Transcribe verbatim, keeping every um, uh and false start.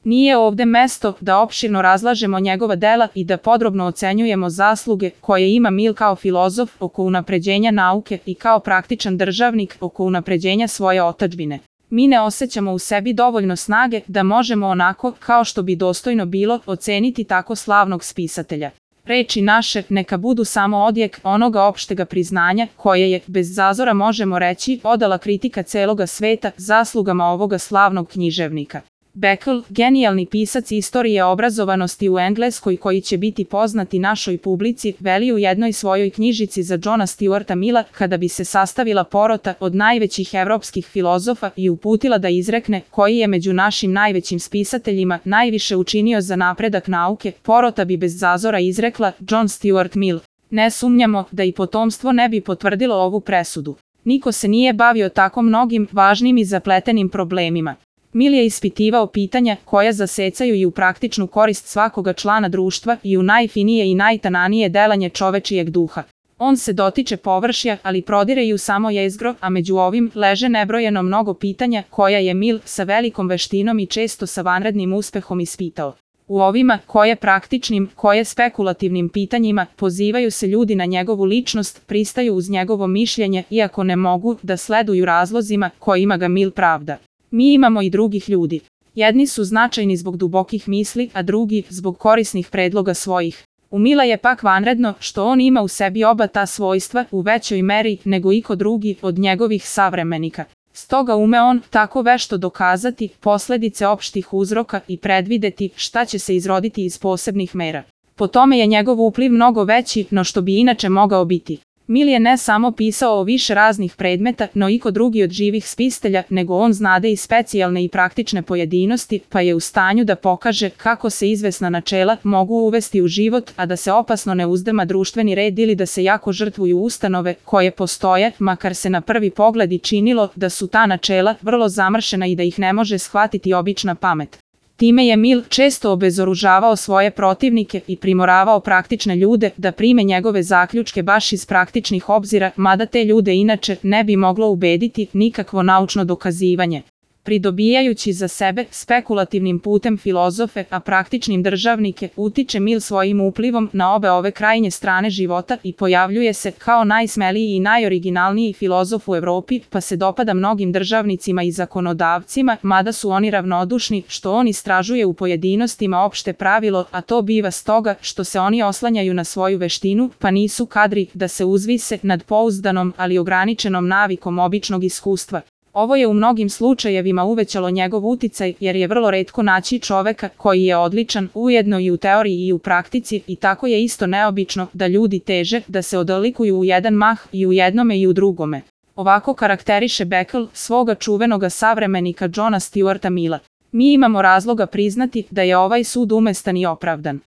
Nije ovde mesto da opširno razlažemo njegova dela i da podrobno ocenjujemo zasluge koje ima Mill kao filozof oko unapređenja nauke i kao praktičan državnik oko unapređenja svoje otadžbine. Mi ne osjećamo u sebi dovoljno snage da možemo onako, kao što bi dostojno bilo, oceniti tako slavnog spisatelja. Reči naše neka budu samo odjek onoga opštega priznanja koje je, bez zazora možemo reći, odala kritika celoga sveta zaslugama ovoga slavnog književnika. Beckel, genijalni pisac istorije obrazovanosti u Engleskoj koji će biti poznati našoj publici, veli u jednoj svojoj knjižici za Johna Stuarta Milla kada bi se sastavila porota od najvećih evropskih filozofa i uputila da izrekne koji je među našim najvećim spisateljima najviše učinio za napredak nauke, porota bi bez zazora izrekla John Stuart Mill. Ne sumnjamo da i potomstvo ne bi potvrdilo ovu presudu. Niko se nije bavio tako mnogim važnim i zapletenim problemima. Mill je ispitivao pitanja koja zasecaju i u praktičnu korist svakoga člana društva i u najfinije i najtananije delanje čovečijeg duha. On se dotiče površja, ali prodire i u samo jezgro, a među ovim leže nebrojeno mnogo pitanja koja je Mill sa velikom veštinom i često sa vanrednim uspehom ispitao. U ovima, koje praktičnim, koje spekulativnim pitanjima, pozivaju se ljudi na njegovu ličnost, pristaju uz njegovo mišljenje, iako ne mogu da sleduju razlozima kojima ga Mill pravda. Mi imamo i drugih ljudi. Jedni su značajni zbog dubokih misli, a drugi zbog korisnih predloga svojih. U Milla je pak vanredno što on ima u sebi oba ta svojstva u većoj meri nego iko drugi od njegovih savremenika. Stoga ume on tako vešto dokazati posledice opštih uzroka i predvideti šta će se izroditi iz posebnih mera. Po tome je njegov upliv mnogo veći no što bi inače mogao biti. Mill je ne samo pisao o više raznih predmeta, no iko drugi od živih spistelja, nego on znade i specijalne i praktične pojedinosti, pa je u stanju da pokaže kako se izvesna načela mogu uvesti u život, a da se opasno ne uzdrma društveni red ili da se jako žrtvuju ustanove koje postoje, makar se na prvi pogled i činilo da su ta načela vrlo zamršena i da ih ne može shvatiti obična pamet. Time je Mill često obezoružavao svoje protivnike i primoravao praktične ljude da prime njegove zaključke baš iz praktičnih obzira, mada te ljude inače ne bi moglo ubediti nikakvo naučno dokazivanje. Pridobijajući za sebe spekulativnim putem filozofe, a praktičnim državnike, utiče Mill svojim uplivom na obe ove krajnje strane života i pojavljuje se kao najsmeliji i najoriginalniji filozof u Evropi, pa se dopada mnogim državnicima i zakonodavcima, mada su oni ravnodušni što on istražuje u pojedinostima opšte pravilo, a to biva stoga što se oni oslanjaju na svoju veštinu, pa nisu kadri da se uzvise nad pouzdanom, ali ograničenom navikom običnog iskustva. Ovo je u mnogim slučajevima uvećalo njegov uticaj jer je vrlo retko naći čoveka koji je odličan ujedno i u teoriji i u praktici i tako je isto neobično da ljudi teže da se odlikuju u jedan mah i u jednome i u drugome. Ovako karakteriše Beckel svoga čuvenoga savremenika Johna Stuarta Milla. Mi imamo razloga priznati da je ovaj sud umestan i opravdan.